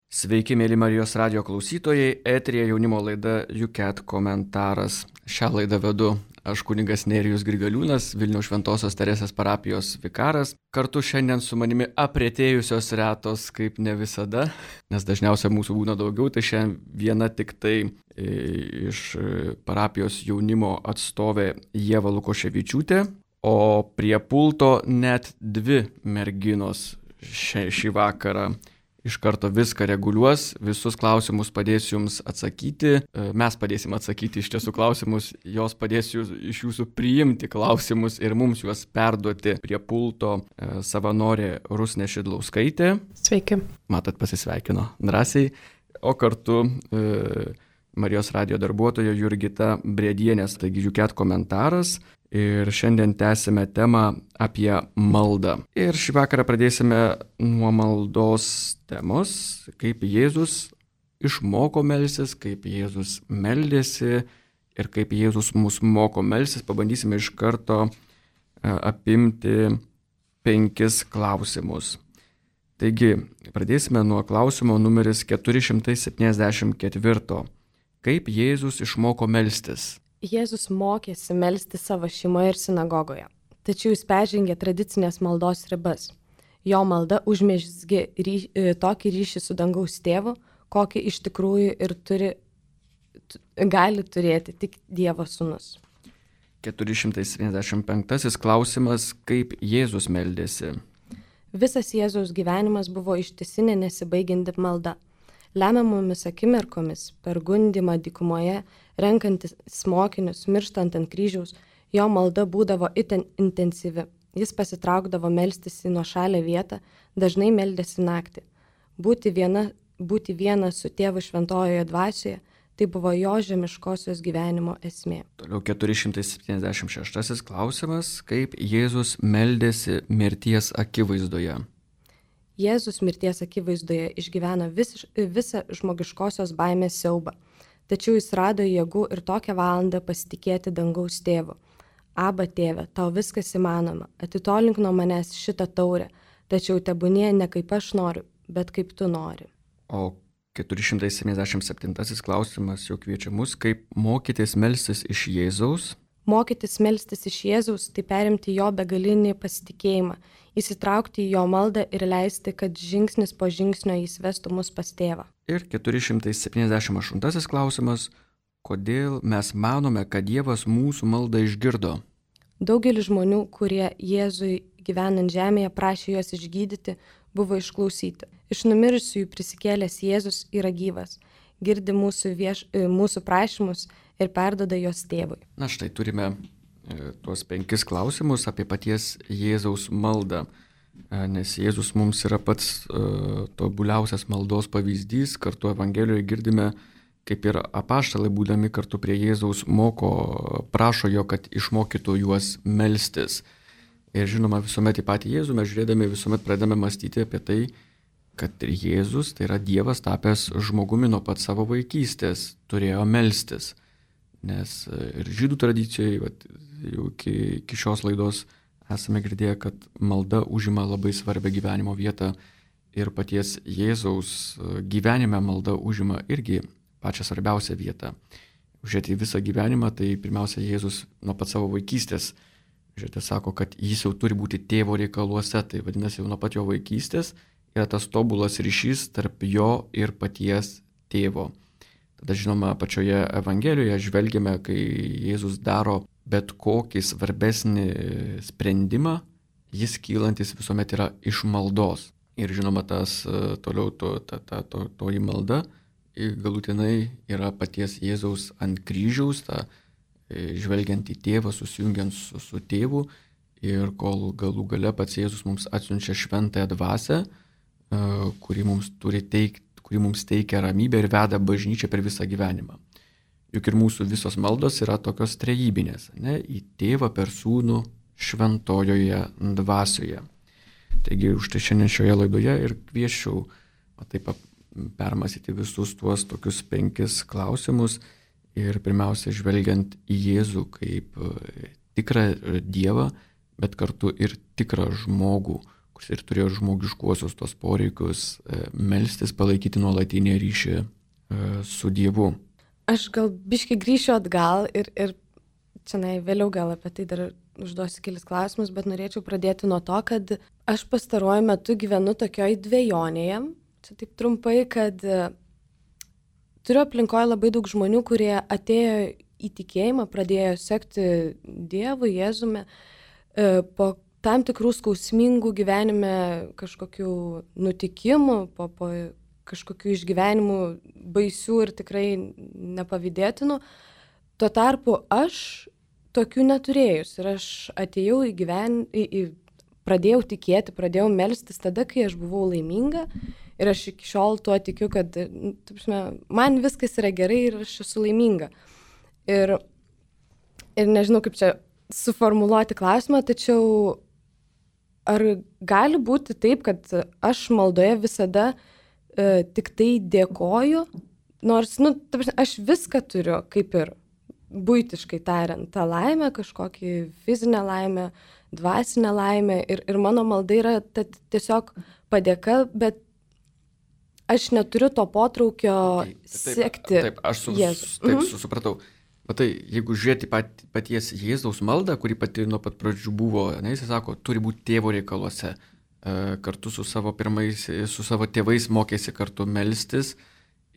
Sveiki, mėly Marijos radio klausytojai, eterija jaunimo laida UCAT komentaras. Šią laidą vedu aš kunigas Nerijus Grigaliūnas, Vilniaus Šventosios Teresės parapijos vikaras. Kartu šiandien su manimi apretėjusios retos, kaip ne visada, nes dažniausiai mūsų būna daugiau, tai šiandien viena tik tai iš parapijos jaunimo atstovė Ieva Lukoševičiūtė, o prie pulto net dvi merginos šį vakarą. Iš karto viską reguliuos, visus klausimus padės jums atsakyti, mes padėsim atsakyti iš tiesų klausimus, jos padės iš jūsų priimti klausimus ir mums juos perduoti prie pulto savanorė Rusnė Šidlauskaitė. Sveiki. Matot, pasisveikino drąsiai, o kartu Marijos radio darbuotoja Jurgita Brėdienės, taigi UCAT komentaras. Ir šiandien tęsime temą apie maldą. Ir šį vakarą pradėsime nuo maldos temos, kaip Jėzus išmoko melstis, kaip Jėzus meldėsi ir kaip Jėzus mus moko melstis. Pabandysime iš karto apimti 5 klausimus. Taigi, pradėsime nuo klausimo numeris 474. Kaip Jėzus išmoko melstis? Jėzus mokėsi melsti savo šeimoje ir sinagogoje, tačiau jis peržengė tradicinės maldos ribas. Jo malda užmezgė tokį ryšį su dangaus tėvu, kokį iš tikrųjų ir gali turėti tik Dievo sūnus. 475 klausimas, kaip Jėzus meldėsi. Visas Jėzaus gyvenimas buvo ištisinė nesibaigianti malda. Lemiamomis akimirkomis, per gundymą dykumoje, renkantis mokinius, mirštant ant kryžiaus, jo malda būdavo itin intensyvi. Jis pasitraukdavo melstis į nuošalę vietą, dažnai meldėsi naktį. Būti viena su tėvu šventojoje dvasioje, tai buvo jo žemiškosios gyvenimo esmė. Toliau 476 klausimas, kaip Jėzus meldėsi mirties akivaizdoje. Jėzus mirties akivaizdoje išgyveno visą žmogiškosios baimės siaubą, tačiau jis rado jėgų ir tokią valandą pasitikėti dangaus tėvu. Aba tėve, tau viskas įmanoma, atitolink nuo manęs šitą taurę, tačiau tebūnie ne kaip aš noriu, bet kaip tu nori. O 477 klausimas jau kviečia mus, kaip mokytis melstis iš Jėzaus. Mokytis melstis iš Jėzaus, tai perimti jo begalinį pasitikėjimą, įsitraukti į jo maldą ir leisti, kad žingsnis po žingsnio jis vestų mus pas tėvą. Ir 478 klausimas, kodėl mes manome, kad Dievas mūsų maldą išgirdo? Daugelis žmonių, kurie Jėzui gyvenant žemėje prašė juos išgydyti, buvo išklausyti. Iš numirusiųjų prisikėlęs Jėzus yra gyvas, girdi mūsų prašymus ir perduoda jos tėvui. Na štai turime tuos 5 klausimus apie paties Jėzaus maldą, nes Jėzus mums yra pats tobuliausias maldos pavyzdys. Kartu Evangelijoje girdime, kaip ir apaštalai būdami kartu prie Jėzaus prašo jo, kad išmokytų juos melstis. Ir žinoma, visuomet į patį Jėzų mes žiūrėdami visuomet pradedame mąstyti apie tai, kad Jėzus, tai yra Dievas tapęs žmogumi nuo pat savo vaikystės, turėjo melstis. Nes ir žydų tradicijoje, jau iki šios laidos esame girdėję, kad malda užima labai svarbią gyvenimo vietą ir paties Jėzaus gyvenime malda užima irgi pačią svarbiausią vietą. Žiūrėti visą gyvenimą, tai pirmiausia Jėzus nuo pat savo vaikystės, žiūrėti, sako, kad jis jau turi būti tėvo reikaluose, tai vadinasi jau nuo pat jo vaikystės yra tas tobulas ryšys tarp jo ir paties tėvo. Tada, žinoma, pačioje Evangelijoje žvelgiame, kai Jėzus daro bet kokį svarbesnį sprendimą, jis kylantis visuomet yra iš maldos. Ir žinoma, tas toliau toji malda galutinai yra paties Jėzaus ant kryžiaus, žvelgiant į tėvą, susijungiant su tėvu, ir kol galų gale pats Jėzus mums atsiunčia šventąją dvasią, kuri mums teikia ramybę ir veda bažnyčią per visą gyvenimą. Juk ir mūsų visos maldos yra tokios trejybinės, ne? Į tėvą per sūnų šventojoje dvasioje. Taigi už tai šiandien šioje laidoje ir kviečiau taip permąstyti visus tuos tokius 5 klausimus ir pirmiausia žvelgiant į Jėzų kaip tikrą Dievą, bet kartu ir tikrą žmogų, kuris ir turėjo žmogiškuosius tos poreikius, melstis, palaikyti nuolatinį ryšį su Dievu. Aš gal biškai grįšiu atgal ir čia vėliau gal apie tai dar užduosiu kelis klausimus, bet norėčiau pradėti nuo to, kad aš pastaruoju metu gyvenu tokioj dvejonėje. Čia taip trumpai, kad turiu aplinkoje labai daug žmonių, kurie atėjo į tikėjimą, pradėjo sekti Dievu, Jėzumi, po tam tikrų skausmingų gyvenime kažkokių nutikimų, po kažkokių išgyvenimų baisių ir tikrai nepavydėtinų. Tuo tarpu aš tokių neturėjus ir aš atėjau pradėjau tikėti, pradėjau melstis tada, kai aš buvau laiminga ir aš iki šiol tuo tikiu, kad man viskas yra gerai ir aš esu laiminga. Ir nežinau, kaip čia suformuluoti klausimą, tačiau ar gali būti taip, kad aš maldoje visada tik tai dėkoju, nors, aš viską turiu, kaip ir buitiškai tariant, tą laimę, kažkokį fizinę laimę, dvasinę laimę ir mano malda yra tiesiog padėka, bet aš neturiu to potraukio siekti. Taip, aš supratau. Matai, jeigu žiūrėti paties Jėzaus maldą, kuri pati nuo pat pradžių buvo, jis sako, turi būti tėvo reikaluose, kartu su savo tėvais mokėsi kartu melstis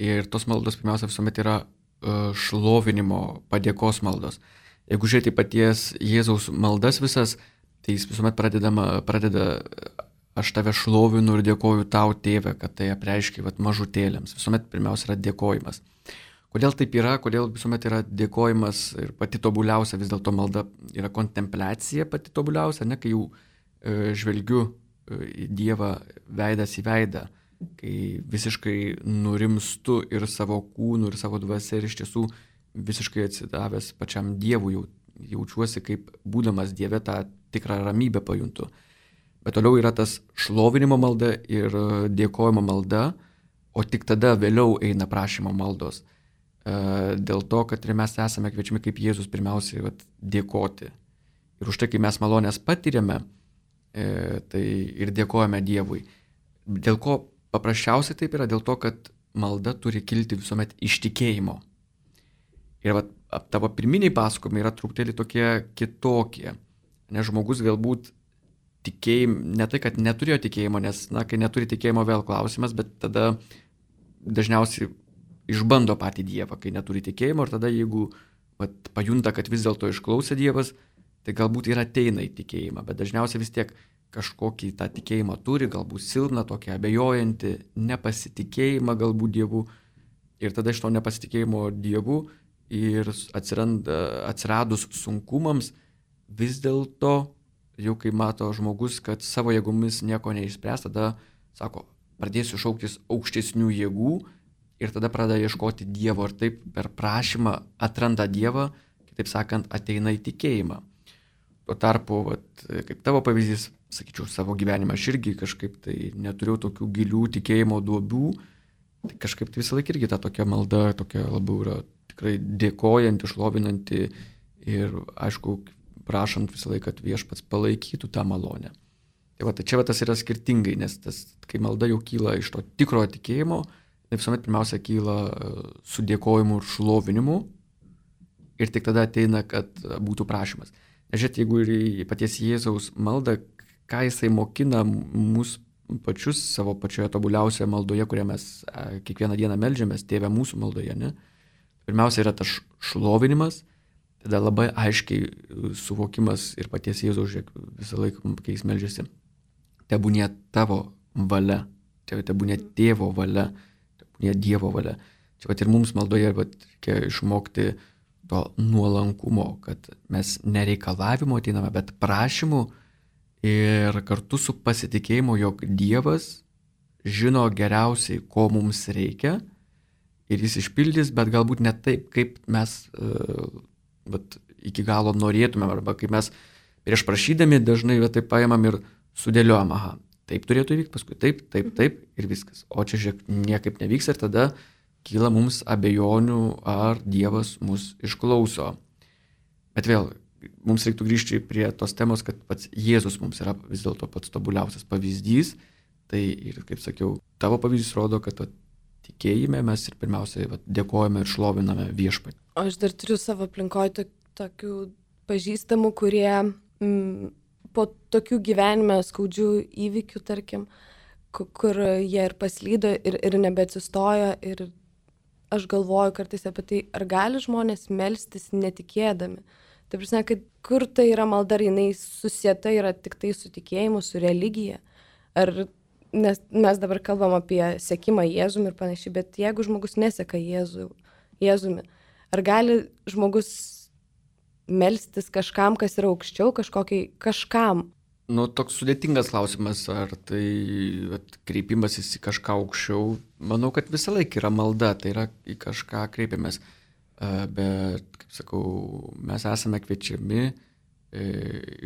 ir tos maldos pirmiausia visuomet yra šlovinimo, padėkos maldos. Jeigu žiūrėti paties Jėzaus maldas visas, tai jis visuomet pradeda aš tave šlovinu ir dėkoju tau, tėve, kad tai apreiškia mažutėliams. Visuomet pirmiausia yra dėkojimas. Kodėl taip yra, kodėl visuomet yra dėkojimas ir pati tobuliausia, vis dėlto malda yra kontempliacija pati tobuliausia, ne, kai jau žvelgiu į Dievą veidas į veidą, kai visiškai nurimstu ir savo kūnu, ir savo dvasia, ir iš tiesų visiškai atsidavęs pačiam Dievui, jaučiuosi kaip būdamas Dieve, tą tikrą ramybę pajuntu. Bet toliau yra tas šlovinimo malda ir dėkojimo malda, o tik tada vėliau eina prašymo maldos. Dėl to, kad ir mes esame kviečiami kaip Jėzus pirmiausiai dėkoti. Ir už tai, kai mes malonės patiriame, tai ir dėkojame Dievui. Dėl ko paprasčiausiai taip yra? Dėl to, kad malda turi kilti visuomet iš tikėjimo. Ir tavo pirminiai pasakojimai yra truputėlį tokie kitokie. Nes žmogus galbūt ne tai, kad neturėjo tikėjimo, nes, kai neturi tikėjimo vėl klausimas, bet tada dažniausiai išbando patį Dievą, kai neturi tikėjimo, ir tada jeigu pajunta, kad vis dėlto išklausė Dievas, tai galbūt ir ateina į tikėjimą, bet dažniausiai vis tiek kažkokį tą tikėjimą turi, galbūt silpną, tokią abejojantį, nepasitikėjimą galbūt Dievu, ir tada iš to nepasitikėjimo Dievu ir atsiradus sunkumams, vis dėlto jau kai mato žmogus, kad savo jėgomis nieko neišspręs, tada sako, pradėsiu šauktis aukštesnių jėgų ir tada pradeda ieškoti Dievo ir taip per prašymą atranda Dievą, kitaip sakant, ateina į tikėjimą. Tuo tarpu, kaip tavo pavyzdys, sakyčiau, savo gyvenimą aš irgi kažkaip tai neturėjau tokių gilių tikėjimo duobių, tai kažkaip tai visą laiką irgi ta tokia malda, tokia labiau yra tikrai dėkojanti, šlovinanti ir, aišku, prašant visą laiką, kad Viešpats palaikytų tą malonę. Tai čia tas yra skirtingai, nes kai malda jau kyla iš to tikrojo tikėjimo, tai visuomet pirmiausia kyla su dėkojimu ir šlovinimu ir tik tada ateina, kad būtų prašymas. Žiūrėt, jeigu ir į paties Jėzaus maldą, ką jisai mokina mus pačius savo pačioje tobuliausioje maldoje, kurią mes kiekvieną dieną meldžiamės, Tėve mūsų maldoje, ne? Pirmiausia yra tas šlovinimas, tada labai aiškiai suvokimas ir paties Jėzaus, visą laiką, kai jis meldžiasi, tebūnie tavo valia, tebūnie Tėvo valia, tebūnie Dievo valia. Čia ir mums maldoje reikia išmokti to nuolankumo, kad mes nereikalavimo ateiname, bet prašymu ir kartu su pasitikėjimu, jog Dievas žino geriausiai, ko mums reikia ir jis išpildys, bet galbūt ne taip, kaip mes iki galo norėtumėm, arba kaip mes prieš prašydami dažnai taip paimam ir sudėliojam, taip turėtų įvykti, paskui taip ir viskas. O čia žiūrėk, niekaip nevyks ir tada kyla mums abejonių, ar Dievas mus išklauso. Bet vėl, mums reiktų grįžti prie tos temos, kad pats Jėzus mums yra vis dėlto pats tobuliausias pavyzdys. Tai ir, kaip sakiau, tavo pavyzdys rodo, kad tikėjime mes ir pirmiausiai dėkojame ir šloviname Viešpatį. O aš dar turiu savo aplinkoje tokių pažįstamų, kurie po tokių gyvenime skaudžių įvykių, tarkim, kur jie ir paslydo ir nebeatsistojo. Ir aš galvoju kartais apie tai, ar gali žmonės melstis netikėdami. Tai prasme, kad kur tai yra malda, ar jinai susieta yra tik tai su tikėjimu, su religija. Nes mes dabar kalbam apie sekimą Jėzumi ir panašiai, bet jeigu žmogus neseka Jėzumi, ar gali žmogus melstis kažkam, kas yra aukščiau, kažkam? Toks sudėtingas klausimas, ar tai kreipimasis į kažką aukščiau. Manau, kad visą laiką yra malda, tai yra į kažką kreipiamės. Bet, kaip sakau, mes esame kviečiami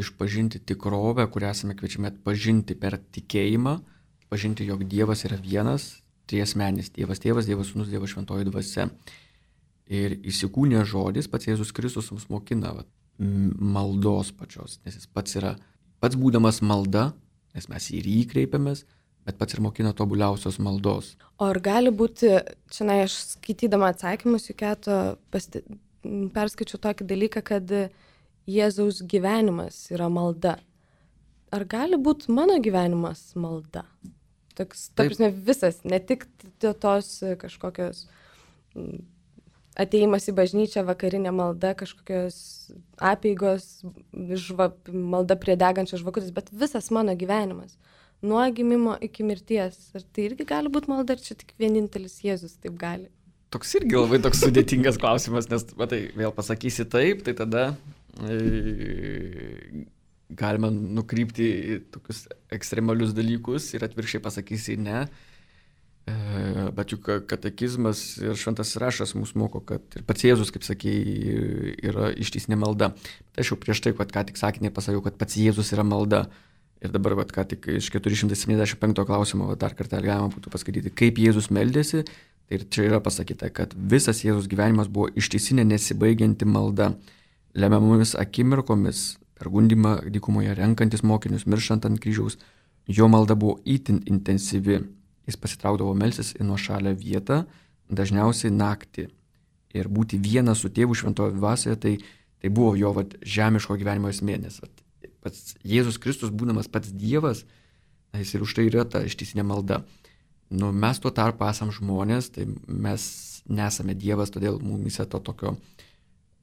išpažinti tikrovę, kurią esame kviečiami atpažinti per tikėjimą, pažinti, jog Dievas yra vienas, triasmenis Dievas Tėvas, Dievas Sūnus, Dievas Šventoji Dvasia. Ir įsikūnė žodis, pats Jėzus Kristus mums mokina maldos pačios, nes jis pats būdamas malda, nes mes į jį kreipiamės, bet pats ir mokina tobuliausios maldos. O ar gali būti, čia aš skaitydama atsakymus į Keto perskaičiu tokį dalyką, kad Jėzaus gyvenimas yra malda. Ar gali būti mano gyvenimas malda? Ta prasme, visas, ne tik tos kažkokios atėjimas į bažnyčią, vakarinė malda, kažkokios apeigos, malda prie degančios žvakutės, bet visas mano gyvenimas. Nuo gimimo iki mirties. Ar tai irgi gali būti malda, ar čia tik vienintelis Jėzus taip gali? Toks irgi labai toks sudėtingas klausimas, nes vėl pasakysi taip, tai tada galima nukrypti į tokius ekstremalius dalykus ir atvirkščiai pasakysi ne. Bet juk katekizmas ir šventasis raštas mus moko, kad ir pats Jėzus, kaip sakei, yra ištisinė malda. Tai aš jau prieš tai, ką tik sakinį pasakiau, kad pats Jėzus yra malda. Ir dabar, ką tik iš 475 klausimo dar kartą galima būtų paskaityti, kaip Jėzus meldėsi. Ir čia yra pasakyta, kad visas Jėzus gyvenimas buvo ištisinė nesibaigianti malda, lemiamomis akimirkomis, per gundymą dykumoje, renkantis mokinius, mirštant ant kryžiaus. Jo malda buvo itin intensyvi. Jis pasitraukdavo melstis į nuošalią vietą, dažniausiai naktį. Ir būti vienas su tėvu šventoje dvasioje, tai buvo jo žemiško gyvenimo esmė. Nes pats Jėzus Kristus, būdamas pats Dievas, jis ir už tai yra ta ištisinė malda. Mes tuo tarpu esam žmonės, tai mes nesame Dievas, todėl mumise to tokio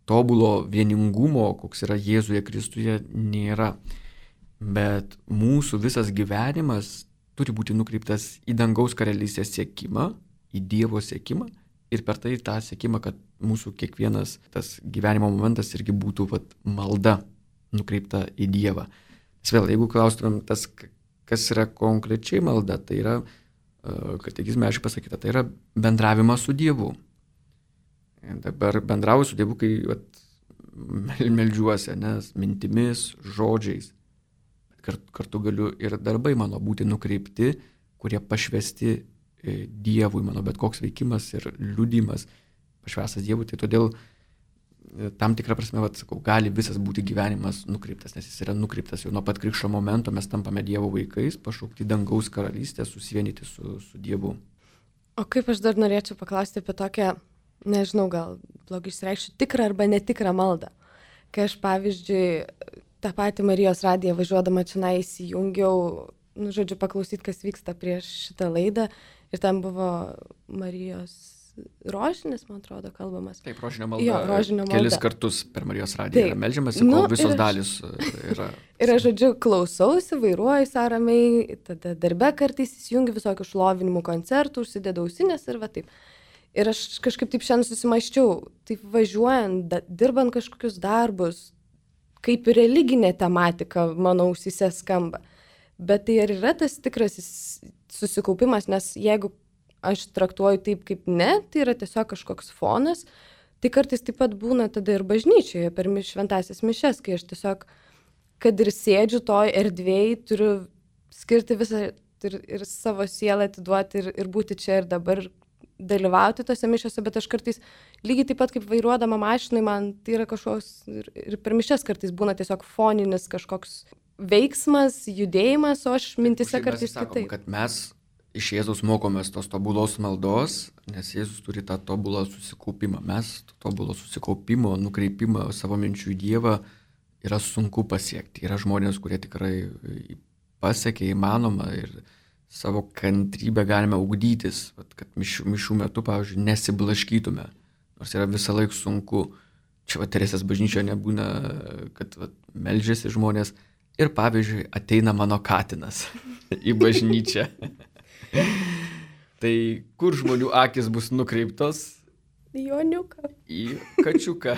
tobulo vieningumo, koks yra Jėzuje Kristuje, nėra. Bet mūsų visas gyvenimas turi būti nukreiptas į dangaus karalystės siekimą, į Dievo siekimą ir per tai tą siekimą, kad mūsų kiekvienas tas gyvenimo momentas irgi būtų malda nukreipta į Dievą. Nes vėl, jeigu klaustumėm tas, kas yra konkrečiai malda, tai yra, katekizme aiškiai pasakyta, tai yra bendravimas su Dievu. Dabar bendrauju su Dievu, kai meldžiuosi, nes mintimis, žodžiais. Kartu galiu ir darbai mano būti nukreipti, kurie pašvesti Dievui, mano bet koks veikimas ir liudimas pašvestas Dievui. Tai todėl tam tikrą prasme, gali visas būti gyvenimas nukreiptas, nes jis yra nukreiptas jau nuo pat krikšto momento, mes tampame Dievo vaikais, pašaukti dangaus karalystę, susivienyti su Dievu. O kaip aš dar norėčiau paklausti apie tokią, nežinau, gal blogai išsireikšiu, tikrą arba netikrą maldą. Kai aš, pavyzdžiui, tą patį Marijos radiją važiuodama čia įsijungiau, paklausyti, kas vyksta prieš šitą laidą. Ir ten buvo Marijos rožinis, man atrodo, kalbamas. Taip, rožinio malda. Jo, rožinio malda. Kelis kartus per Marijos radiją yra meldžiamasi, kol visos dalis yra. Ir aš, klausausi, vairuoju ramiai, tada darbe kartais įsijungiu visokių šlovinimų koncertų, užsidedu ausinės ir taip. Ir aš kažkaip taip šiandien susimąsčiau, taip važiuojant, dirbant kažkokius darbus, kaip religinė tematika mano ausyse skamba. Bet tai ar yra tas tikrasis susikaupimas, nes jeigu aš traktuoju taip kaip ne, tai yra tiesiog kažkoks fonas, tai kartais taip pat būna tada ir bažnyčioje per šventąsias mišias, kai aš tiesiog, kad ir sėdžiu toj erdvėj, turiu skirti visą ir savo sielą atiduoti ir būti čia ir dabar dalyvauti tose mišiose, bet aš kartais lygiai taip pat kaip vairuodama mašinai, man tai yra kažkoks ir per mišias kartais būna tiesiog foninis kažkoks veiksmas, judėjimas, o aš mintise kartais sakom, kitaip. Kad mes iš Jėzaus mokomės tos tobulos maldos, nes Jėzus turi tą tobulą susikaupimą. Mes tobulo susikaupimo, nukreipimą savo minčių į Dievą yra sunku pasiekti. Yra žmonės, kurie tikrai pasiekia įmanoma ir savo kantrybę galime ugdytis, kad mišių metu, pavyzdžiui, nesiblaškytume, nors yra visą laiką sunku. Čia Teresės bažnyčioje nebūna, kad meldžiasi žmonės ir, pavyzdžiui, ateina mano katinas į bažnyčią. Tai kur žmonių akis bus nukreiptos? Į oniuką. Į kačiuką,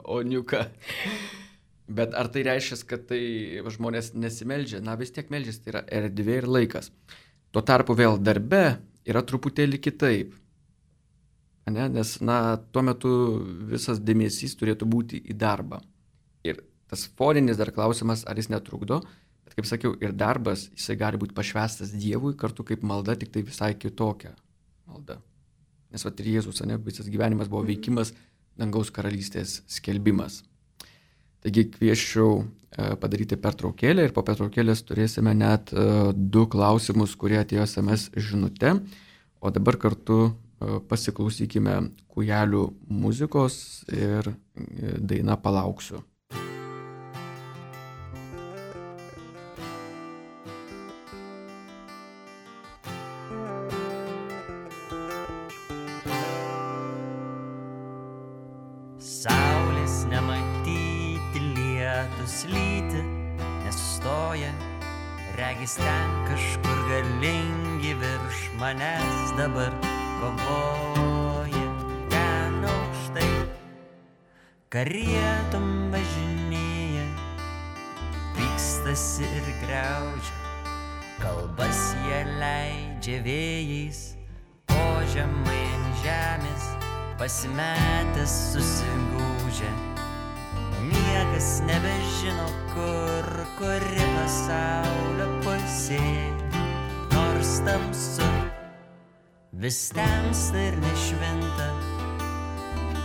oniuką. Bet ar tai reiškia, kad tai žmonės nesimeldžia? Na, vis tiek meldžiasi, tai yra erdvė ir laikas. Tuo tarpu vėl darbe yra truputėlį kitaip. Ne? Nes, tuo metu visas dėmesys turėtų būti į darbą. Ir tas foninis dar klausimas, ar jis netrukdo, bet kaip sakiau, ir darbas, jisai gali būti pašvęstas Dievui, kartu kaip malda, tik tai visai kitokia malda. Nes ir Jėzus, visas gyvenimas buvo veikimas, dangaus karalystės skelbimas. Taigi kvieščiau padaryti pertraukėlę ir po pertraukėlės turėsime net 2 klausimus, kurie atėjo SMS žinute. O dabar kartu pasiklausykime Kūjelių muzikos ir daina Palauksiu. Saulės nematyti, lietus lyti, nesustoja, regis ten kažkur galingi virš manęs dabar kovoja. Ten aukštai karietom važinėja, pykstasi ir griaužia, kalbas jie leidžia vėjais, o žemai ant žemės pasimetęs susigūžia. Niekas nebežino, kuri pasaulio pusė, nors tamsu, vis temsta ir nešvinta.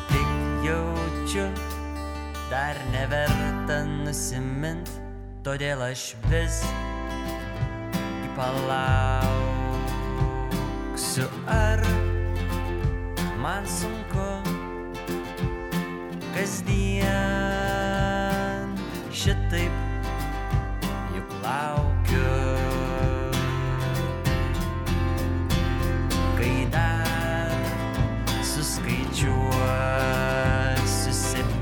Tik jaučiu, dar neverta nusimint, todėl aš vis palauksiu. Ar man sunku kasdien šitaip juk laukiu, kai dar suskaičiuosiu 7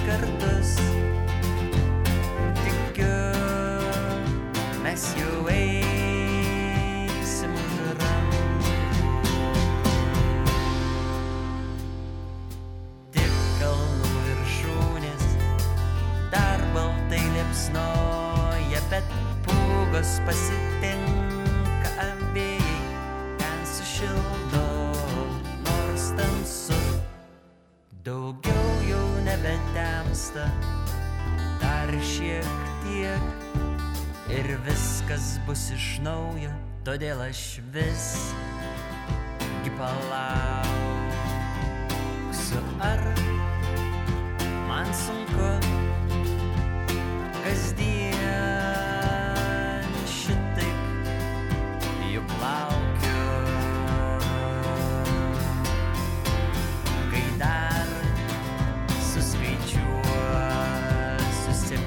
kartus. Tikiu, mes jau eisim už rankų. Tik kalnų viršūnės dar baltai liepsnoja, bet pūgos pasitinka abejai, ten sušildo, nors tamsu. Daugiau jau nebetemsta, dar šiek tiek ir viskas bus iš naujo, todėl aš visgi palauksiu. Ar man sunku kasdien šitaip juk laukiu, kai dar suskaičiuosiu 7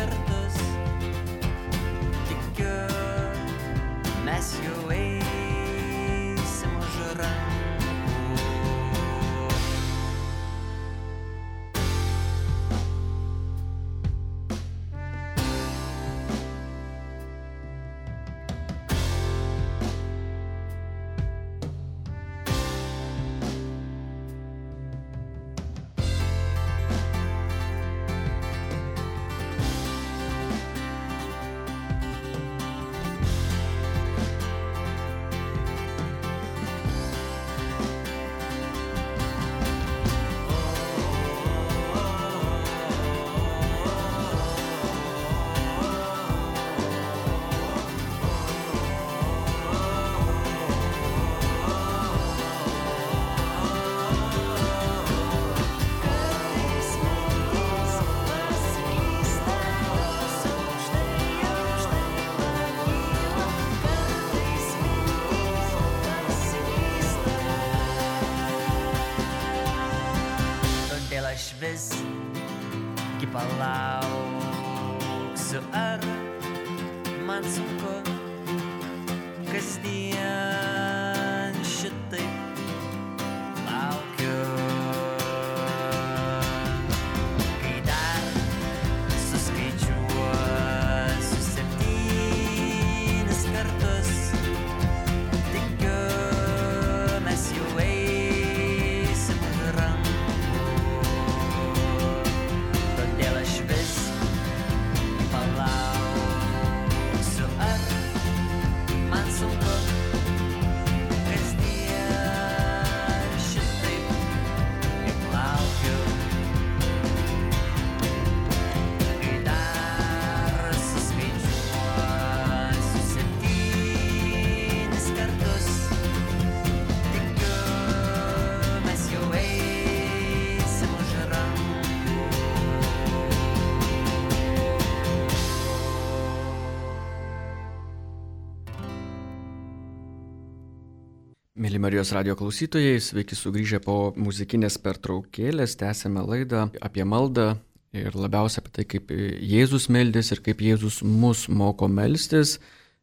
kartus. Tikiu, mes jau eisim už rankų. palauksiu, ar man sunku kasdien šitaip laukiu. Kai dar suskaičiuosiu 7 kartus, tikiu, mes jau eisim už rankų. Todėl aš vis palauksiu, ar man sunku kasdien šitaip juk laukiu. Kai dar suskaičiuosiu 7 kartus, tikiu, mes jau eisim už rankų. Mėly Marijos radio klausytojai, sveiki sugrįžę po muzikinės pertraukėlės, tęsėme laidą apie maldą ir labiausia apie tai, kaip Jėzus meldės ir kaip Jėzus mus moko melstis.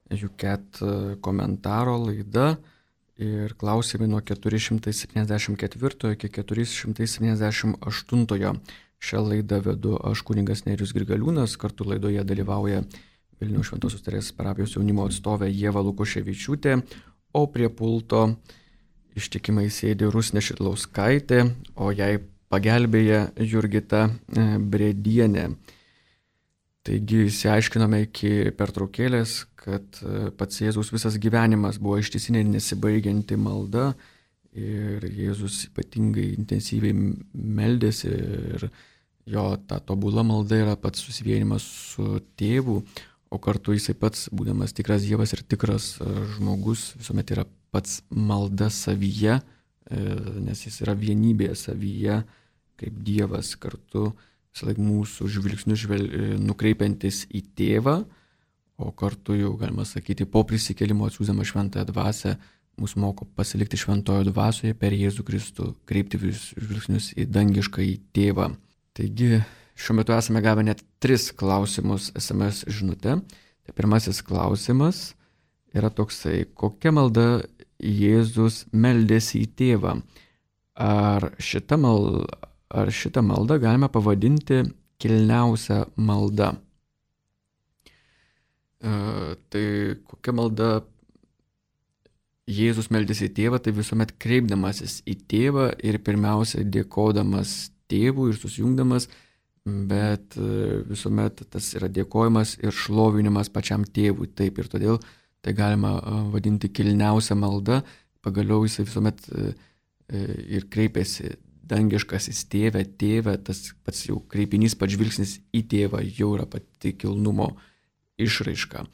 Juket komentaro laida ir klausimai nuo 474 iki 478. Šią laidą vedu aš, kunigas Nerijus Grigaliūnas, kartu laidoje dalyvauja Vilniaus Šventosios Teresės parapijos jaunimo atstovė Ieva Lukoševičiūtė, o prie pulto ištikimai sėdi Rusnė Šidlauskaitė, o jai pagelbėja Jurgita Bredienė. Taigi išsiaiškinome iki pertraukėlės, kad pats Jėzaus visas gyvenimas buvo ištisinė nesibaigianti malda ir Jėzus ypatingai intensyviai meldėsi ir jo ta tobula malda yra pats susivienimas su tėvu, o kartu jisai pats, būdamas tikras Dievas ir tikras žmogus, visuomet yra pats malda savyje, nes jis yra vienybėje savyje, kaip Dievas kartu visąlaik mūsų žvilgsnius nukreipiantis į tėvą, o kartu jau galima sakyti, po prisikėlimo atsiųsdama šventąją dvasią, mus moko pasilikti šventojo dvasioje per Jėzų Kristų, kreipti žvilgsnius į dangišką į tėvą. Taigi, šiuo metu esame gavę net 3 klausimus SMS žinute. Tai pirmasis klausimas yra toksai, kokia malda Jėzus meldėsi į tėvą? Ar šitą maldą galime pavadinti kilniausia malda? Tai kokia malda Jėzus meldėsi į tėvą, tai visuomet kreipdamasis į tėvą ir pirmiausia dėkodamas tėvui ir susijungdamas, bet visuomet tas yra dėkojimas ir šlovinimas pačiam tėvui. Taip, ir todėl tai galima vadinti kilniausia malda. Pagaliau jisai visuomet ir kreipiasi dangiškasis tėve, tas pats jau kreipinys, pats žvilgsnis į tėvą jau yra pati kilnumo išraiška.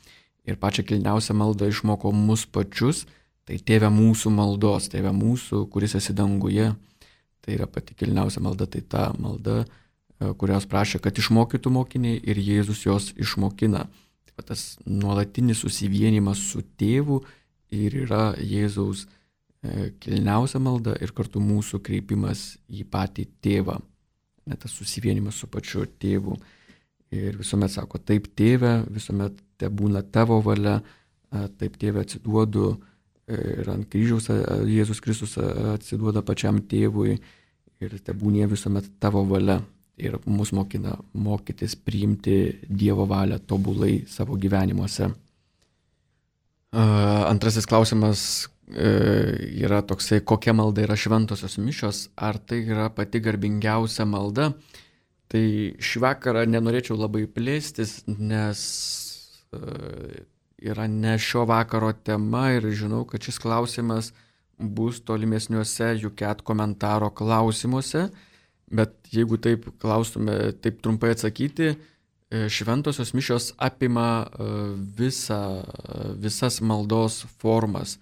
Ir pačią kilniausią maldą išmoko mus pačius, tai tėve mūsų maldos, tėve mūsų, kuris esi danguje. Tai yra pati kilniausia malda, tai ta malda, kurios prašė, kad išmokytų mokiniai ir Jėzus jos išmokina. Taip pat tas nuolatinis susivienimas su tėvu ir yra Jėzaus kilniausia malda ir kartu mūsų kreipimas į patį tėvą. Net tas susivienimas su pačiu tėvu. Ir visuomet sako, taip tėve, visuomet te būna tavo valia, taip tėve atsiduodu ir ant kryžiaus Jėzus Kristus atsiduoda pačiam tėvui ir te būnė visuomet tavo valia. Ir mus mokina mokytis priimti Dievo valią tobulai savo gyvenimuose. Antrasis klausimas yra toksai, kokia malda yra šventosios mišios, ar tai yra pati garbingiausia malda. Tai šį vakarą nenorėčiau labai plėstis, nes yra ne šio vakaro tema ir žinau, kad šis klausimas bus tolimesniuose Juket komentaro klausimuose, bet jeigu taip klaustume, taip trumpai atsakyti, šventosios mišios apima visas maldos formas,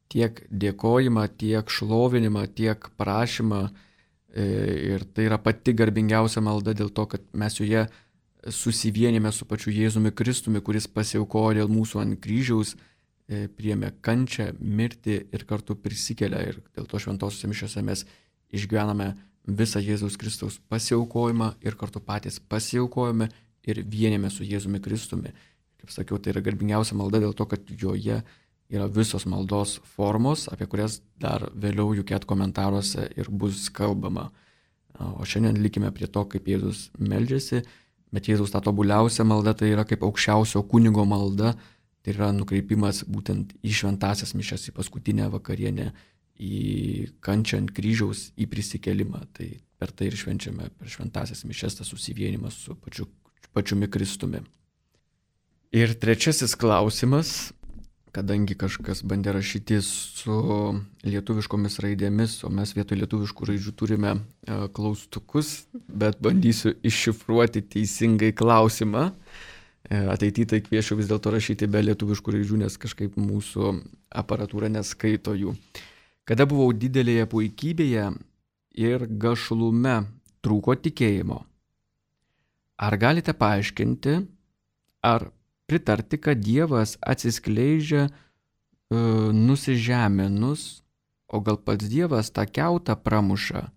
tiek dėkojimą, tiek šlovinimą, tiek prašymą. Ir tai yra pati garbingiausia malda dėl to, kad mes joje susivienėme su pačiu Jėzumi Kristumi, kuris pasiaukojo dėl mūsų ant kryžiaus, priėmė kančią, mirtį ir kartu prisikelia. Ir dėl to šventosiuose mišiuose mes išgyvename visą Jėzaus Kristaus pasiaukojimą ir kartu patys pasiaukojame ir vienėme su Jėzumi Kristumi. Kaip sakiau, tai yra garbingiausia malda dėl to, kad joje yra visos maldos formos, apie kurias dar vėliau Juket komentaruose ir bus kalbama. O šiandien likime prie to, kaip Jėzus meldžiasi, bet Jėzus ta tobuliausia malda tai yra kaip aukščiausio kunigo malda, tai yra nukreipimas būtent į šventasias mišias, į paskutinę vakarienę, į kančią ant kryžiaus, į prisikėlimą. Tai per tai ir švenčiame per šventasias mišias tas susivienimas su pačiumi Kristumi. Ir trečiasis klausimas, kadangi kažkas bandė rašyti su lietuviškomis raidėmis, o mes vietoj lietuviškų raidžių turime klaustukus, bet bandysiu iššifruoti teisingai klausimą. Ateityje tai kviečiu vis dėlto rašyti be lietuviškų raidžių, nes kažkaip mūsų aparatūra neskaito jų. Kada buvau didelėje puikybėje ir gašlume trūko tikėjimo. Ar galite paaiškinti, ar pritarti, kad Dievas atsiskleidžia nusižeminus, o gal pats Dievas tą kiautą pramuša?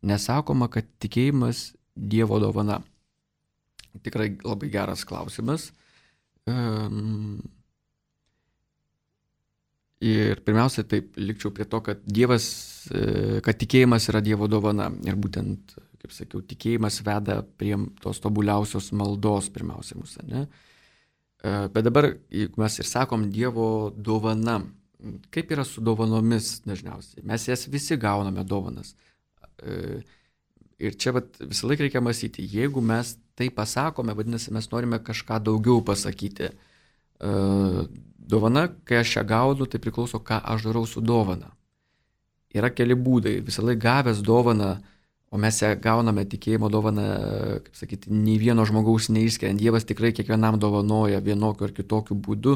Nesakoma, kad tikėjimas Dievo dovana. Tikrai labai geras klausimas. Ir pirmiausia, taip likčiau prie to, kad kad tikėjimas yra Dievo dovana. Ir būtent, kaip sakiau, tikėjimas veda prie tos tobuliausios maldos pirmiausia mūsų, ne? Bet dabar, jeigu mes ir sakom Dievo dovana, kaip yra su dovanomis dažniausiai? Mes jas visi gauname dovanas. Ir čia visą laiką reikia mąstyti, jeigu mes tai pasakome, vadinasi, mes norime kažką daugiau pasakyti. Dovana, kai aš ją gaunu, tai priklauso, ką aš darau su dovana. Yra keli būdai. Visą laiką gavęs dovaną, o mes ją gauname tikėjimo dovaną, kaip sakyti, nei vieno žmogaus neišskiriant. Dievas tikrai kiekvienam dovanoja vienokiu ar kitokiu būdu.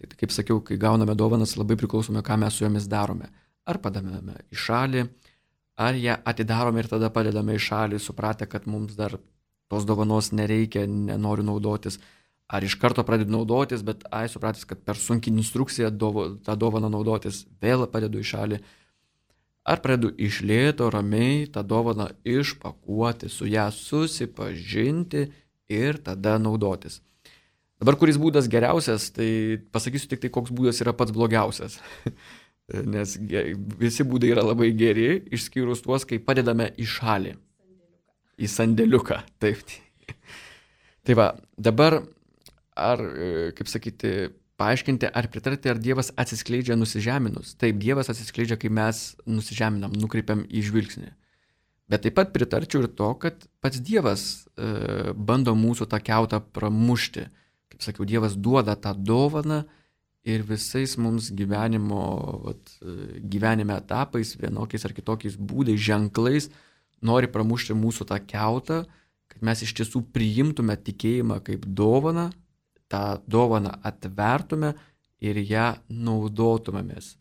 Tai kaip sakiau, kai gauname dovanas, labai priklausome, ką mes su jomis darome. Ar padame į šalį, ar ją atidarome ir tada padedame į šalį, supratę, kad mums dar tos dovanos nereikia, nenoriu naudotis. Ar iš karto pradedu naudotis, bet supratęs, kad per sunkiai instrukciją tą dovaną naudotis, vėl padedu į šalį. Ar pradedu iš lėto, ramiai tą dovaną išpakuoti, su ją susipažinti ir tada naudotis. Dabar kuris būdas geriausias, tai pasakysiu tik tai, koks būdas yra pats blogiausias. Nes visi būdai yra labai geri, išskyrus tuos, kai padedame į šalį. Į sandėliuką. Taip. Tai va, dabar ar, kaip sakyti, paaiškinti, ar pritarti, ar Dievas atsiskleidžia nusižeminus. Taip, Dievas atsiskleidžia, kai mes nusižeminam, nukreipiam į žvilgsnį. Bet taip pat pritarčiau ir to, kad pats Dievas bando mūsų tą kiautą pramušti. Kaip sakiau, Dievas duoda tą dovaną ir visais mums gyvenime etapais, vienokiais ar kitokiais būdais, ženklais nori pramušti mūsų tą kiautą, kad mes iš tiesų priimtume tikėjimą kaip dovaną, tą dovaną atvertume ir ją naudotumėmės.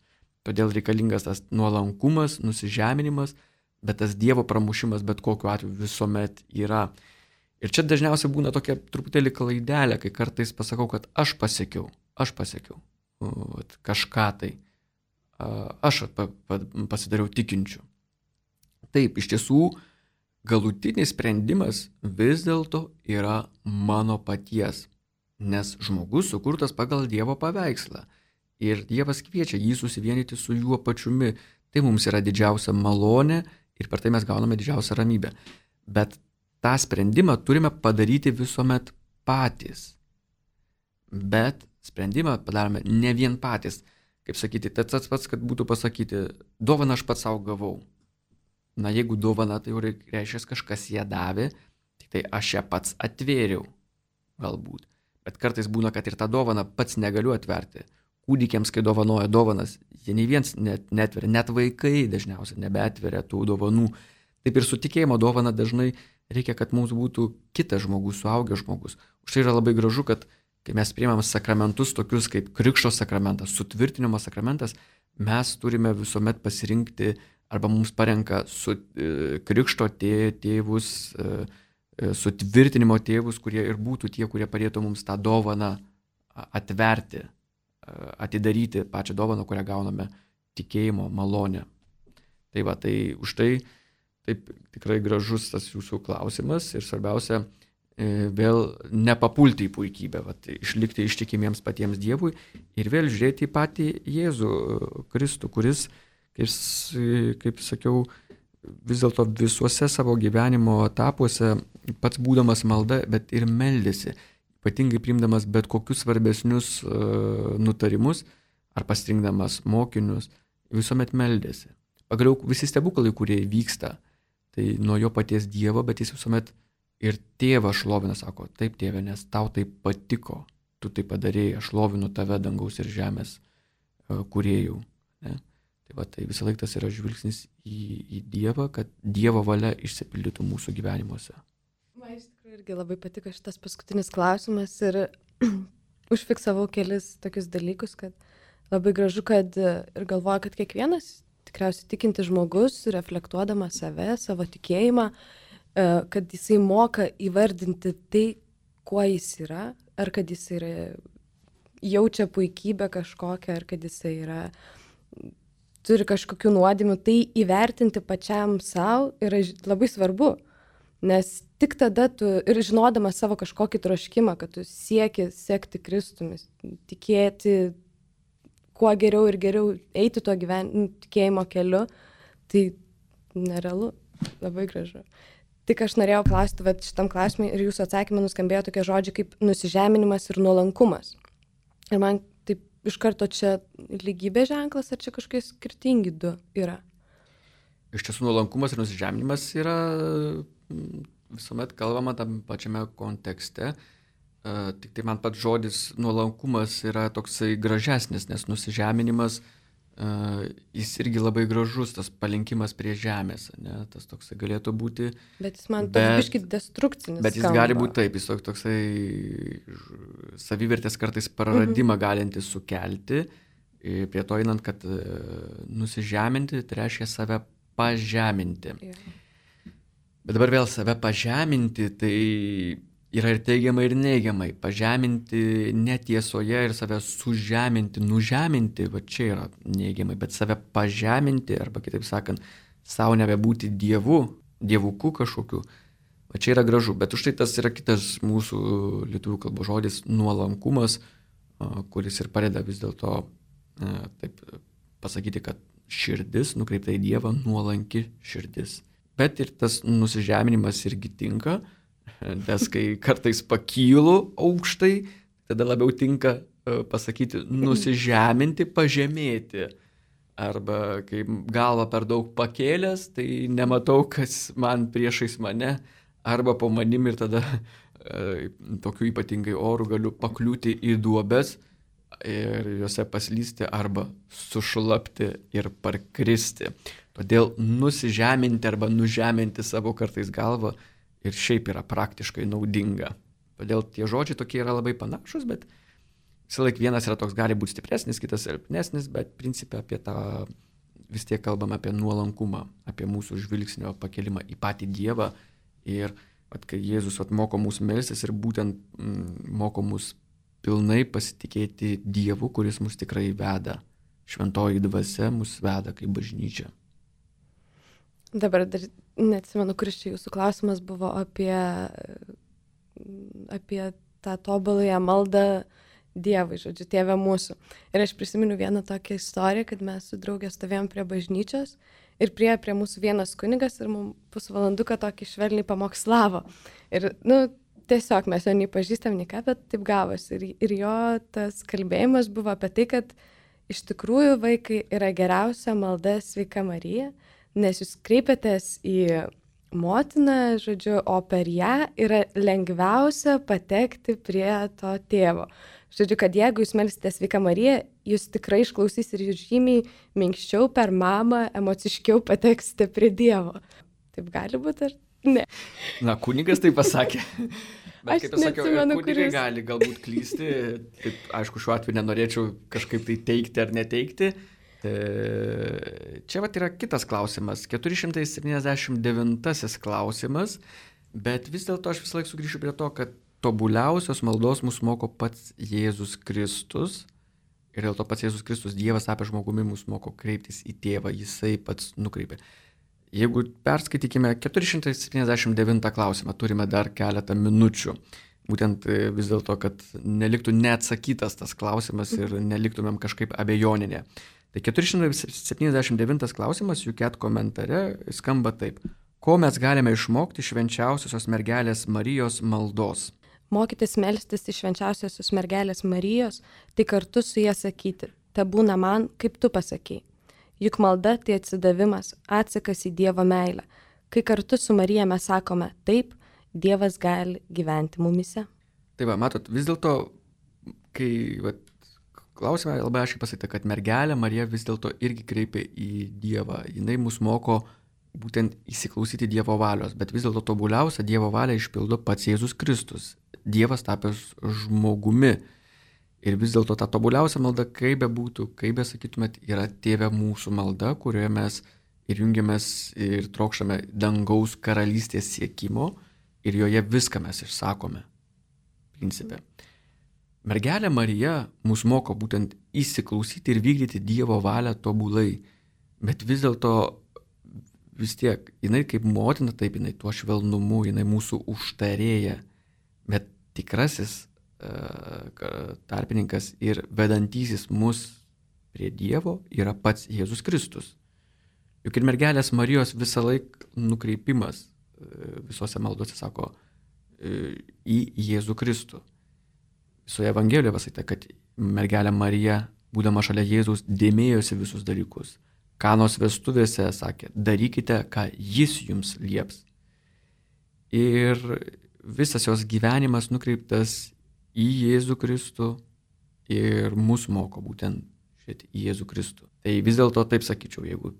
Todėl reikalingas tas nuolankumas, nusižeminimas, bet tas Dievo pramušimas bet kokiu atveju visuomet yra. Ir čia dažniausiai būna tokia truputėlį klaidelė, kai kartais pasakau, kad aš pasiekiau kažką tai, aš pasidariau tikinčiu. Taip, iš tiesų, galutinis sprendimas vis dėlto yra mano paties. Nes žmogus sukurtas pagal Dievo paveikslą. Ir Dievas kviečia jį susivienyti su juo pačiumi. Tai mums yra didžiausia malonė ir per tai mes gauname didžiausią ramybę. Bet tą sprendimą turime padaryti visuomet patys. Bet sprendimą padarome ne vien patys. Kaip sakyti, tas pats, kad būtų pasakyti, dovaną aš pats savo gavau. Na, jeigu dovana, tai jau reiškia, kažkas ją davė, tai aš ją pats atvėriau. Galbūt. Bet kartais būna, kad ir tą dovaną pats negaliu atverti. Kūdikiams, kai dovanoja dovanas, jie nei viens netveria, net vaikai dažniausiai nebeatveria tų dovanų. Taip ir su tikėjimo dovana dažnai reikia, kad mums būtų kitas žmogus, suaugęs žmogus. Už tai yra labai gražu, kad kai mes priimam sakramentus tokius kaip krikšto sakramentas, sutvirtinimo sakramentas, mes turime visuomet pasirinkti arba mums parenka krikšto tėvus, sutvirtinimo tėvus, kurie ir būtų tie, kurie padėtų mums tą dovaną atverti, atidaryti pačią dovaną, kurią gauname tikėjimo malonę. Tai va, tai už tai taip tikrai gražus tas jūsų klausimas ir svarbiausia vėl nepapulti į puikybę, vat, išlikti ištikimiems patiems Dievui ir vėl žiūrėti į patį Jėzų Kristų, kuris, kaip sakiau, vis dėlto visuose savo gyvenimo etapuose pats būdamas malda, bet ir meldėsi, ypatingai priimdamas bet kokius svarbesnius nutarimus ar pasirinkdamas mokinius, visuomet meldėsi. Pagaliau visi stebuklai, kurie vyksta, tai nuo jo paties Dievo, bet jis visuomet ir tėvą šlovina, sako, taip tėve, nes tau tai patiko, tu tai padarėjai, aš šlovinu tave dangaus ir žemės kūrėjų. Ne? Tai va, tai visą laiką tas yra žvilgsnis į Dievą, kad Dievo valia išsipildytų mūsų gyvenimuose. Man iš tikrųjų irgi labai patiko šitas paskutinis klausimas ir užfiksavau kelis tokius dalykus, kad labai gražu, kad ir galvoju, kad kiekvienas tikriausiai tikintis žmogus, reflektuodamas save, savo tikėjimą, kad jisai moka įvardinti tai, kuo jis yra, ar kad jis yra, jaučia puikybę kažkokią, ar kad jisai yra, turi kažkokių nuodėmių, tai įvertinti pačiam savo yra labai svarbu, nes tik tada tu ir žinodamas savo kažkokį troškimą, kad tu sieki sekti Kristumi, tikėti kuo geriau ir geriau eiti tuo tikėjimo keliu, tai nerealu, labai gražu. Tik aš norėjau klausti, bet šitam klausimui ir jūsų atsakymė nuskambėjo tokie žodžiai kaip nusižeminimas ir nuolankumas. Ir man taip iš karto čia lygybė ženklas, ar čia kažkokie skirtingi du yra? Iš tiesų nuolankumas ir nusižeminimas yra visuomet kalbama tam pačiame kontekste. Tik tai man pats žodis nuolankumas yra toksai gražesnis, nes nusižeminimas jis irgi labai gražus, tas palinkimas prie žemės, ne? Tas toksai galėtų būti. Bet jis man toks biškit destrukcinis. Bet jis gali būti taip, jis toksai savivertės kartais praradimą galintis sukelti, prie to einant, kad nusižeminti, tai reiškia save pažeminti. Bet dabar vėl save pažeminti, tai yra ir teigiamai, ir neigiamai. Pažeminti netiesoje ir save sužeminti, nužeminti, va čia yra neigiamai, bet save pažeminti, arba kitaip sakant, savo nebebūti dievuku kažkokiu, va čia yra gražu. Bet už tai tas yra kitas mūsų lietuvių kalbos žodis nuolankumas, kuris ir padeda vis dėlto taip pasakyti, kad širdis nukreipta į Dievą, nuolanki širdis. Bet ir tas nusižeminimas irgi tinka, nes kai kartais pakylu aukštai, tada labiau tinka pasakyti nusižeminti, pažemėti. Arba kai galvą per daug pakėlęs, tai nematau, kas man priešais mane, arba po manim ir tada tokiu ypatingai oru galiu pakliūti į duobes ir juose paslysti arba sušlapti ir parkristi. Todėl nusižeminti arba nužeminti savo kartais galvą ir šiaip yra praktiškai naudinga. Todėl tie žodžiai tokie yra labai panašus, bet visą laiką vienas yra toks, gali būti stipresnis, kitas silpnesnis, bet principė apie tą vis tiek kalbam apie nuolankumą, apie mūsų žvilgsnio pakelimą į patį Dievą. Ir kai Jėzus moko mus melstis ir būtent moko mus pilnai pasitikėti Dievu, kuris mus tikrai veda. Šventoji dvasia mus veda kaip bažnyčia. Dabar dar neatsimenu, kuris čia jūsų klausimas buvo apie tą tobuląją maldą Dievui, žodžiu, Tėve mūsų. Ir aš prisimenu vieną tokią istoriją, kad mes su draugė stovėjom prie bažnyčios ir prie mūsų vienas kunigas ir mums pusvalanduką tokį švelniai pamokslavo. Ir, tiesiog mes jo nei pažįstam, nei ką, bet taip gavosi. Ir jo tas kalbėjimas buvo apie tai, kad iš tikrųjų vaikai yra geriausia malda Sveika Marija, nes jūs kreipiatės į motiną, žodžiu, o per ją yra lengviausia patekti prie to tėvo. Žodžiu, kad jeigu jūs melsitės Sveika Marija, jūs tikrai išklausys ir jūs žymiai minkščiau per mamą, emociškiau pateksite prie Dievo. Taip gali būti ar ne? Na, kunigas tai pasakė. Bet kaip aš sakiau, kunigai gali galbūt klysti. Taip, aišku, šiuo atveju nenorėčiau kažkaip tai teikti ar neteikti. Čia yra kitas klausimas, 479 klausimas, bet vis dėlto aš visą laiką sugrįšiu prie to, kad tobuliausios maldos mus moko pats Jėzus Kristus ir dėl to pats Jėzus Kristus, Dievas apie žmogumi, mus moko kreiptis į Tėvą, jisai pats nukreipia. Jeigu perskaitykime 479 klausimą, turime dar keletą minučių. Būtent vis dėlto, kad neliktų neatsakytas tas klausimas ir neliktumėm kažkaip abejoninė. Tai 479 klausimas UCAT komentare skamba taip. Ko mes galime išmokti švenčiausiosios mergelės Marijos maldos? Mokytis melstis iš švenčiausiosios mergelės Marijos, tai kartu su ja sakyti, te būna man, kaip tu pasakei. Juk malda tai atsidavimas, atsakas į Dievo meilę. Kai kartu su Marija mes sakome taip, Dievas gali gyventi mumise. Tai va, matot, vis dėlto, kai klausime labai aiškiai pasakyta, kad mergelė Marija vis dėlto irgi kreipia į Dievą. Jinai mus moko būtent įsiklausyti Dievo valios, bet vis dėlto tobuliausia Dievo valia išpildo pats Jėzus Kristus. Dievas tapęs žmogumi. Ir vis dėlto ta tobuliausia malda, kaip be būtų, kaip be sakytumėt, yra Tėve mūsų malda, kurioje mes ir jungiamės ir trokštame dangaus karalystės siekimo ir joje viską mes išsakome. Principe. Mergelė Marija mus moko būtent įsiklausyti ir vykdyti Dievo valią tobulai, bet vis dėlto vis tiek, jinai kaip motina, taip jinai tuo švelnumu, jinai mūsų užtarėja, bet tikrasis tarpininkas ir vedantysis mus prie Dievo yra pats Jėzus Kristus. Juk ir mergelės Marijos visą laik nukreipimas visose maldose sako į Jėzų Kristų. Visoje Evangelijoje pasakyta, kad mergelė Marija, būdama šalia Jėzaus, dėmėjosi visus dalykus. Kanos vestuvėse sakė, darykite, ką jis jums lieps. Ir visas jos gyvenimas nukreiptas į Jėzų Kristų ir mus moko būtent į Jėzų Kristų. Tai vis dėlto taip sakyčiau, jeigu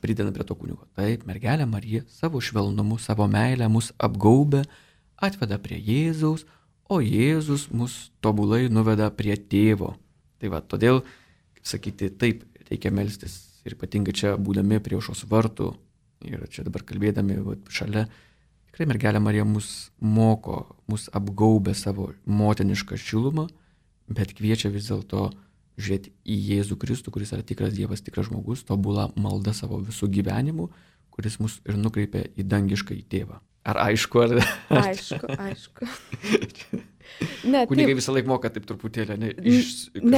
pridedame prie to kunigo. Taip, mergelė Marija savo švelnumu, savo meilę mus apgaubia, atveda prie Jėzaus, o Jėzus mus tobulai nuveda prie Tėvo. Tai va, todėl, kaip sakyti, taip reikia melstis. Ir ypatingai čia būdami prie aušros vartų ir čia dabar kalbėdami šalia, tikrai mergelė Marija mus moko, mus apgaubia savo motinišką šilumą, bet kviečia vis dėlto žiūrėti į Jėzų Kristų, kuris yra tikras Dievas, tikras žmogus, tobula malda savo visų gyvenimu, kuris mus ir nukreipia į dangišką į Tėvą. Ar aišku, ar... Aišku. Ne, kunigai visą laiką moka taip truputėlį, ne?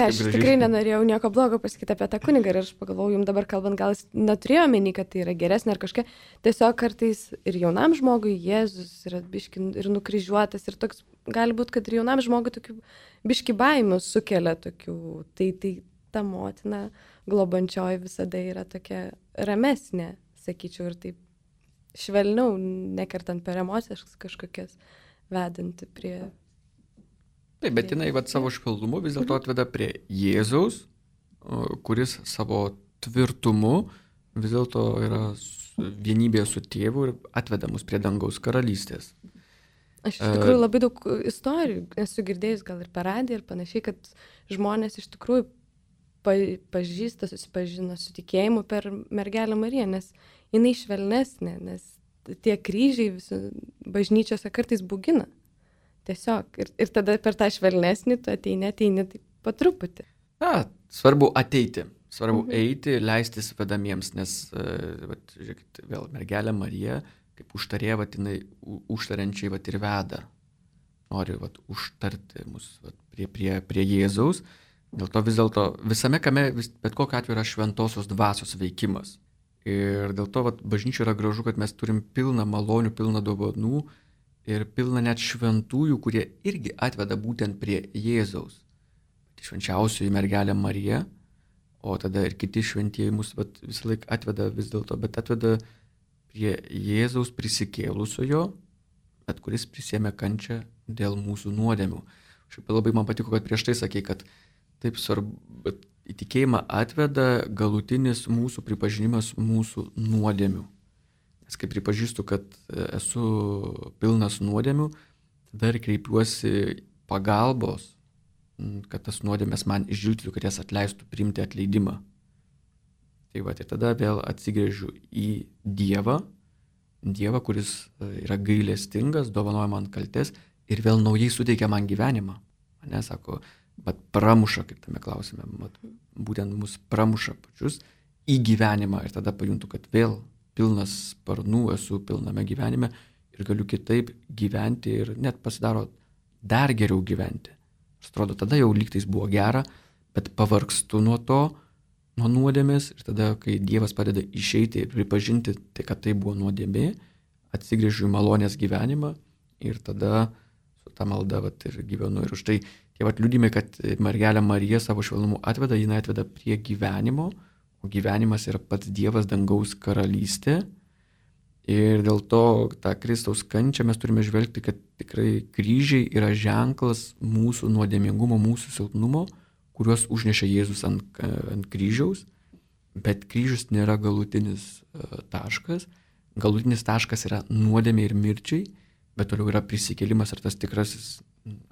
Aš tikrai nenorėjau nieko blogo pasakyti apie tą kunigą ir aš pagalvojau, jums dabar kalbant, gal jis neturėjo omeny, kad tai yra geresnė ar kažkokia. Tiesiog kartais ir jaunam žmogui Jėzus yra biški ir nukryžiuotas ir toks, gali būti, kad ir jaunam žmogui tokių biški baimių sukelia tokių. Tai ta motina globančioji visada yra tokia ramesnė, sakyčiau, ir taip švelniau, nekartant per emocijas kažkokias, vedanti prie... Taip, bet jinai savo švelnumu vis dėlto atveda prie Jėzaus, kuris savo tvirtumu vis dėlto yra vienybėje su Tėvu ir atveda mus prie dangaus karalystės. Aš iš tikrųjų labai daug istorijų esu girdėjus gal ir per radiją ir panašiai, kad žmonės iš tikrųjų pažįsta, susipažino su tikėjimu per mergelę Mariją, nes jinai švelnesnė, nes tie kryžiai visi bažnyčiose kartais bugina. Tiesiog. Ir tada per tą švelnesnį tu ateini taip po truputį. Svarbu ateiti. Svarbu eiti, leistis vedamiems, nes, žiūrėkit, vėl mergelė Marija, kaip užtarė, jinai užtariančiai ir veda. Nori užtarti mus prie Jėzaus. Dėl to vis dėlto visame kame, bet kokiu atveju yra šventosios dvasios veikimas. Ir dėl to bažnyčia yra gražu, kad mes turim pilną malonių, pilną dovanų ir pilną net šventųjų, kurie irgi atveda būtent prie Jėzaus. Švenčiausioji mergelė Marija, o tada ir kiti šventieji mus visą laiką atveda vis dėlto, bet atveda prie Jėzaus prisikėlusiojo, bet kuris prisėmė kančią dėl mūsų nuodėmių. Šiaip labai man patiko, kad prieš tai sakei, kad taip svarbu, bet į tikėjimą atveda galutinis mūsų pripažinimas mūsų nuodėmių. Nes kai pripažįstu, kad esu pilnas nuodėmių, tada ir kreipiuosi pagalbos, kad tas nuodėmės man išdžiūtų, kad jas atleistų priimti atleidimą. Tai ir tada vėl atsigręžiu į Dievą, kuris yra gailestingas, dovanoja man kaltes ir vėl naujai suteikia man gyvenimą. Mane sako, bet pramuša, kaip tame klausime, būtent mus pramuša pačius į gyvenimą ir tada pajuntu, kad vėl pilnas sparnų, esu pilname gyvenime ir galiu kitaip gyventi ir net pasidaro dar geriau gyventi. Atrodo, tada jau lygtais buvo gera, bet pavargstu nuo to, nuo nuodėmės ir tada, kai Dievas padeda išeiti ir pripažinti, tai kad tai buvo nuodėmė, atsigrėžiu į malonės gyvenimą ir tada su ta malda ir gyvenu. Ir už tai tie liudymai, kad mergelė Marija savo švelnumu atveda, jinai atveda prie gyvenimo, o gyvenimas yra pats Dievas, dangaus karalystė. Ir dėl to tą Kristaus kančią mes turime žvelgti, kad tikrai kryžiai yra ženklas mūsų nuodėmingumo, mūsų silpnumo, kuriuos užnešė Jėzus ant kryžiaus, bet kryžius nėra galutinis taškas. Galutinis taškas yra nuodėmė ir mirčiai, bet toliau yra prisikėlimas ir tas tikrasis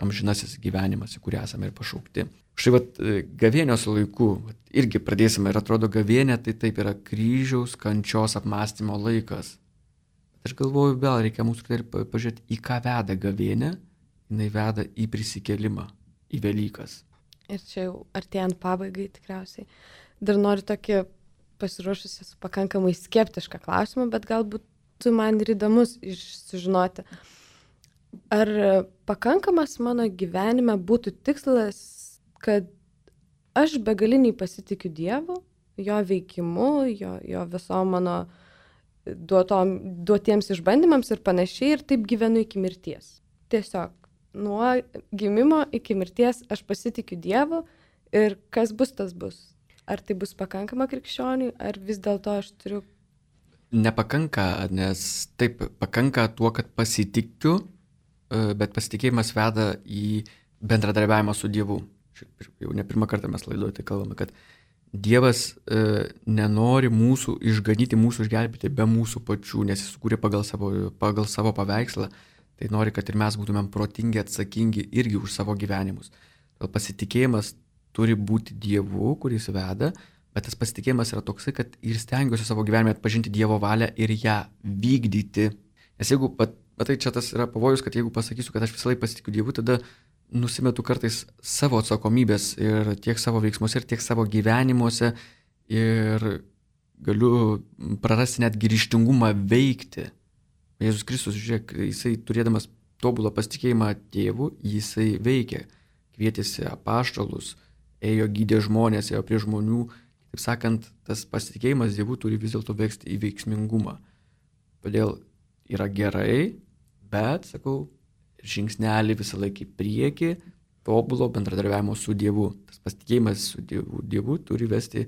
amžinasis gyvenimas, į kurį esame ir pašaukti. Štai gavėnios laiku irgi pradėsime ir atrodo gavėnė tai taip yra kryžiaus kančios apmąstymo laikas. Aš galvoju, vėl reikia mūsų pažiūrėti, į ką veda gavėnė, jinai veda į prisikėlimą, į Velykas. Ir čia jau artėjant pabaigai tikriausiai. Dar noriu tokį pasiruošusi su pakankamai skeptišką klausimą, bet galbūt tu man ir įdomus sužinoti. Ar pakankamas mano gyvenime būtų tikslas, kad aš begaliniai pasitikiu Dievu, jo veikimu, jo visom mano duotiems išbandymams ir panašiai, ir taip gyvenu iki mirties. Tiesiog nuo gimimo iki mirties aš pasitikiu Dievu ir kas bus, tas bus. Ar tai bus pakankama krikščioniui, ar vis dėlto aš turiu... Nepakanka, nes taip pakanka tuo, kad pasitikiu, bet pasitikėjimas veda į bendradarbiavimą su Dievu. Jau ne pirmą kartą mes laidoje tai kalbame, kad Dievas nenori mūsų išganyti, mūsų išgelbėti be mūsų pačių, nes jis sukūrė pagal savo paveikslą, tai nori, kad ir mes būtumėm protingi, atsakingi irgi už savo gyvenimus. Todėl pasitikėjimas turi būti Dievu, kuris veda, bet tas pasitikėjimas yra toksai, kad ir stengiuosi savo gyvenime atpažinti Dievo valią ir ją vykdyti. Nes jeigu, matai, čia tas yra pavojus, kad jeigu pasakysiu, kad aš visą laiką pasitikiu Dievu, tada nusimetu kartais savo atsakomybės ir tiek savo veiksmuose, ir tiek savo gyvenimuose ir galiu prarasti net ryžtingumą veikti. Jėzus Kristus, žiūrėk, jisai turėdamas tobulą pasitikėjimą Tėvu, jisai veikė, kvietėsi apaštalus, ėjo gydė žmonės, ėjo prie žmonių. Taip sakant, tas pasitikėjimas Dievu turi vis dėlto veksti į veiksmingumą. Todėl yra gerai, bet, sakau, žingsnelį visą laiką į priekį, tobulo bendradarbiavimo su Dievu. Tas pasitikėjimas su Dievu turi vesti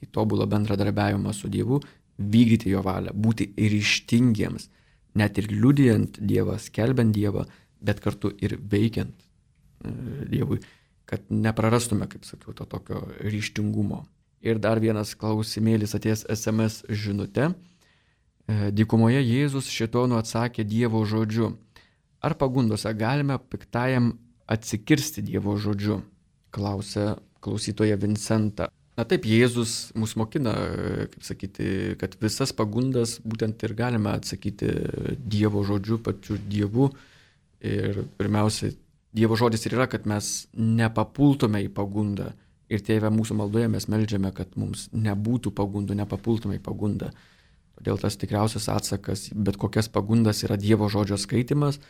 į tobulą bendradarbiavimą su Dievu, vykdyti jo valią, būti ryžtingiems, net ir liudijant Dievą, skelbiant Dievą, bet kartu ir veikiant Dievui, kad neprarastume, kaip sakiau, to tokio ryžtingumo. Ir dar vienas klausimėlis atėjęs SMS žinute. Dykumoje Jėzus šėtonu atsakė Dievo žodžiu. Ar pagundose galime piktajam atsikirsti Dievo žodžiu? Klausia klausytoja Vincenta. Na taip, Jėzus mus mokina, kaip sakyti, kad visas pagundas būtent ir galime atsakyti Dievo žodžiu, pačiu Dievu. Ir pirmiausia, Dievo žodis ir yra, kad mes nepapultume į pagundą. Ir Tėve, mūsų maldoje mes meldžiame, kad mums nebūtų pagundų, nepapultume į pagundą. Todėl tas tikriausias atsakas, bet kokias pagundas yra Dievo žodžio skaitimas,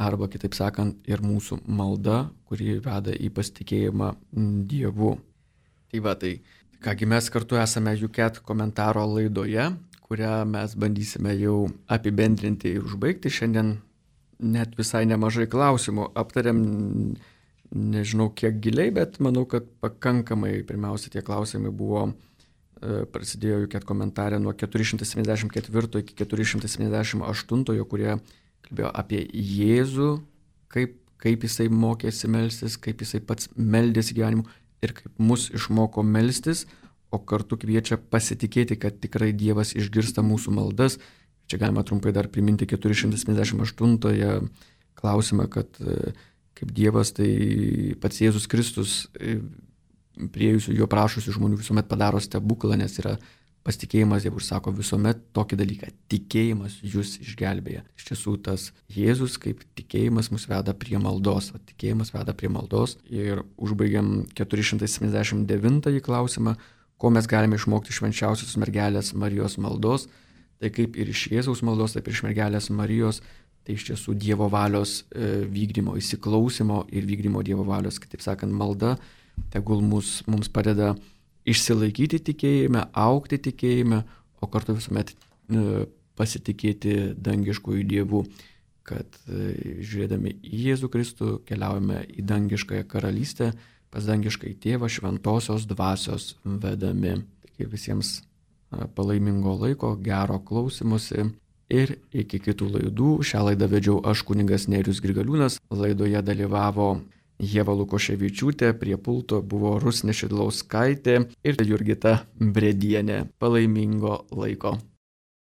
arba kitaip sakant, ir mūsų malda, kuri veda į pasitikėjimą Dievu. Tai va, tai kągi mes kartu esame UCAT komentaro laidoje, kurią mes bandysime jau apibendrinti ir užbaigti. Šiandien net visai nemažai klausimų aptariam, nežinau kiek giliai, bet manau, kad pakankamai. Pirmiausia, tie klausimai buvo, prasidėjo UCAT komentarė nuo 474 iki 478, kurie kalbėjo apie Jėzų, kaip jisai mokėsi melstis, kaip jisai pats meldėsi gyvenimu ir kaip mus išmoko melstis, o kartu kviečia pasitikėti, kad tikrai Dievas išgirsta mūsų maldas. Čia galima trumpai dar priminti 478 klausimą, kad kaip Dievas, tai pats Jėzus Kristus priejusių jo prašusių žmonių visuomet padaro stebuklą, nes yra pasitikėjimas Dievu, sako visuomet tokį dalyką, tikėjimas jūs išgelbėja. Iš tiesų tas Jėzus kaip tikėjimas mus veda prie maldos, tikėjimas veda prie maldos. Ir užbaigiam 479 klausimą, ko mes galime išmokti švenčiausios mergelės Marijos maldos. Tai kaip ir iš Jėzaus maldos, taip ir iš mergelės Marijos, tai iš tiesų Dievo valios vykdymo, įsiklausimo ir vykdymo Dievo valios, kitaip sakant, malda tegul mums padeda išsilaikyti tikėjime, augti tikėjime, o kartu visuomet pasitikėti dangiškųjų dievų, kad žiūrėdami į Jėzų Kristų keliaujame į dangiškąją karalystę, pas dangiškąjį tėvą šventosios dvasios vedami. Taigi visiems palaimingo laiko, gero klausimusi ir iki kitų laidų. Šią laidą vedžiau aš, kunigas Nerijus Grigaliūnas, laidoje dalyvavo Ieva Lukoševičiūtė, prie pulto buvo Rusnė Šidlauskaitė ir Jurgita Bredienė. Palaimingo laiko.